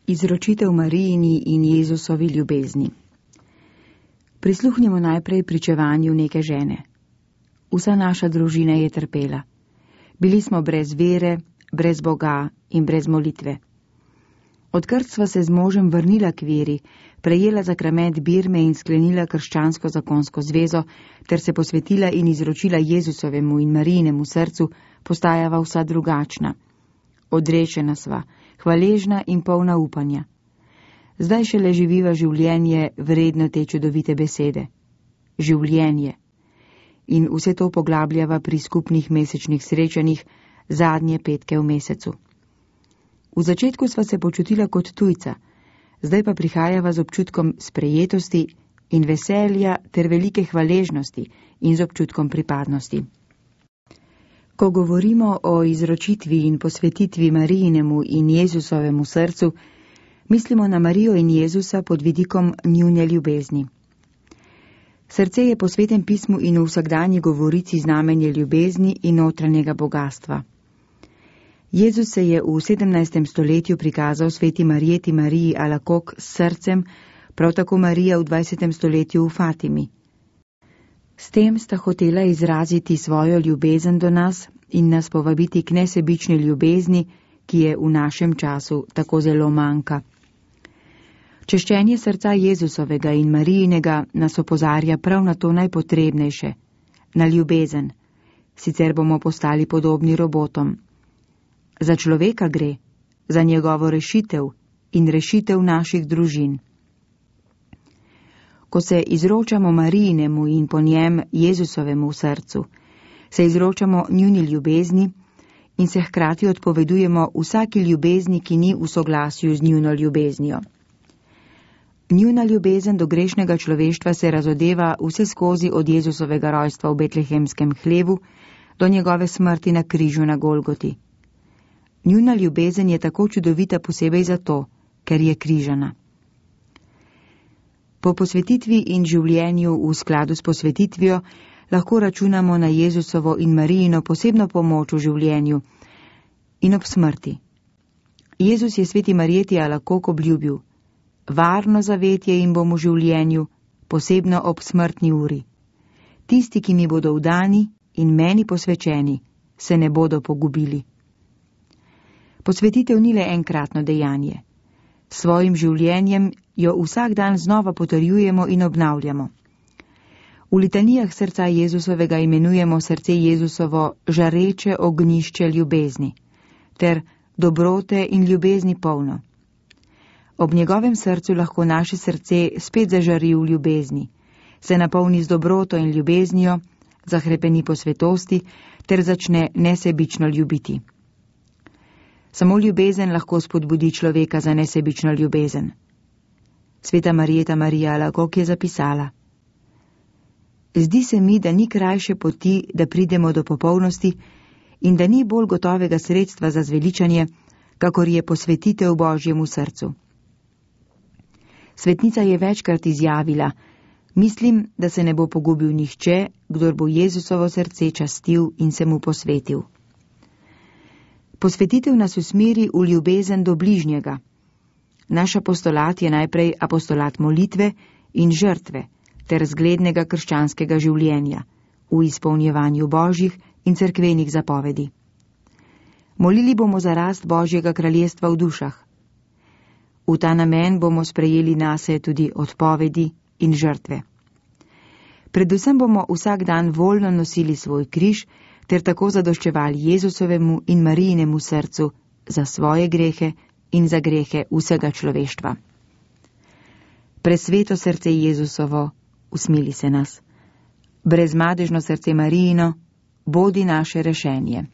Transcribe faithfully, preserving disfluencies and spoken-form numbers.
Izročitev Marijini in Jezusovi ljubezni. Prisluhnimo najprej pričevanju neke žene. Vsa naša družina je trpela. Bili smo brez vere, brez Boga in brez molitve. Odkar sva se z možem vrnila k veri, prejela zakrament birme in sklenila krščansko zakonsko zvezo, ter se posvetila in izročila Jezusovemu in Marijinemu srcu, postajava vsa drugačna. Odrešena sva, hvaležna in polna upanja. Zdaj šele živiva življenje vredno te čudovite besede. Življenje. In vse to poglabljava pri skupnih mesečnih srečanjih zadnje petke v mesecu. V začetku sva se počutila kot tujca, zdaj pa prihajava z občutkom sprejetosti in veselja ter velike hvaležnosti in z občutkom pripadnosti. Ko govorimo o izročitvi in posvetitvi Marijinemu in Jezusovemu srcu, mislimo na Marijo in Jezusa pod vidikom njune ljubezni. Srce je po Svetem pismu in v vsakdanji govorici znamenje ljubezni in notranjega bogastva. Jezus se je v sedemnajstem stoletju prikazal sveti Marijeti Mariji Alakok s srcem, prav tako Marija v dvajsetem stoletju v Fatimi. S tem sta hotela izraziti svojo ljubezen do nas in nas povabiti k nesebični ljubezni, ki je v našem času tako zelo manjka. Češčenje srca Jezusovega in Marijinega nas opozarja prav na to najpotrebnejše, na ljubezen, sicer bomo postali podobni robotom. Za človeka gre, za njegovo rešitev in rešitev naših družin. Ko se izročamo Marijinemu in po njem Jezusovemu srcu, se izročamo njuni ljubezni in se hkrati odpovedujemo vsaki ljubezni, ki ni v soglasju z njuno ljubeznijo. Njuna ljubezen do grešnega človeštva se razodeva vse skozi od Jezusovega rojstva v betlehemskem hlevu do njegove smrti na križu na Golgoti. Njuna ljubezen je tako čudovita posebej zato, ker je križana. Po posvetitvi in življenju v skladu s posvetitvijo lahko računamo na Jezusovo in Marijino posebno pomoč v življenju in ob smrti. Jezus je sveti Marijeti Alakok obljubil: varno zavetje jim bom v življenju, posebno ob smrtni uri. Tisti, ki mi bodo vdani in meni posvečeni, se ne bodo pogubili. Posvetitev ni le enkratno dejanje. S svojim življenjem jo vsak dan znova potrjujemo in obnavljamo. V litanijah srca Jezusovega imenujemo srce Jezusovo žareče ognjišče ljubezni, ter dobrote in ljubezni polno. Ob njegovem srcu lahko naše srce spet zažari v ljubezni, se napolni z dobroto in ljubeznijo, zahrepeni po svetosti ter začne nesebično ljubiti. Samo ljubezen lahko spodbudi človeka za nesebično ljubezen. Sveta Marijeta Marija Alakok je zapisala: zdi se mi, da ni krajše poti, da pridemo do popolnosti in da ni bolj gotovega sredstva za zveličanje, kakor je posvetitev Božjemu srcu. Svetnica je večkrat izjavila: mislim, da se ne bo pogubil nihče, kdor bo Jezusovo srce častil in se mu posvetil. Posvetitev nas usmeri v ljubezen do bližnjega. Naš apostolat je najprej apostolat molitve in žrtve ter zglednega krščanskega življenja v izpolnjevanju božjih in cerkvenih zapovedi. Molili bomo za rast Božjega kraljestva v dušah. V ta namen bomo sprejeli nase tudi odpovedi in žrtve. Predvsem bomo vsak dan voljno nosili svoj križ ter tako zadoščevali Jezusovemu in Marijinemu srcu za svoje grehe in za grehe vsega človeštva. Presveto srce Jezusovo, usmili se nas. Brezmadežno srce Marijino, bodi naše rešenje.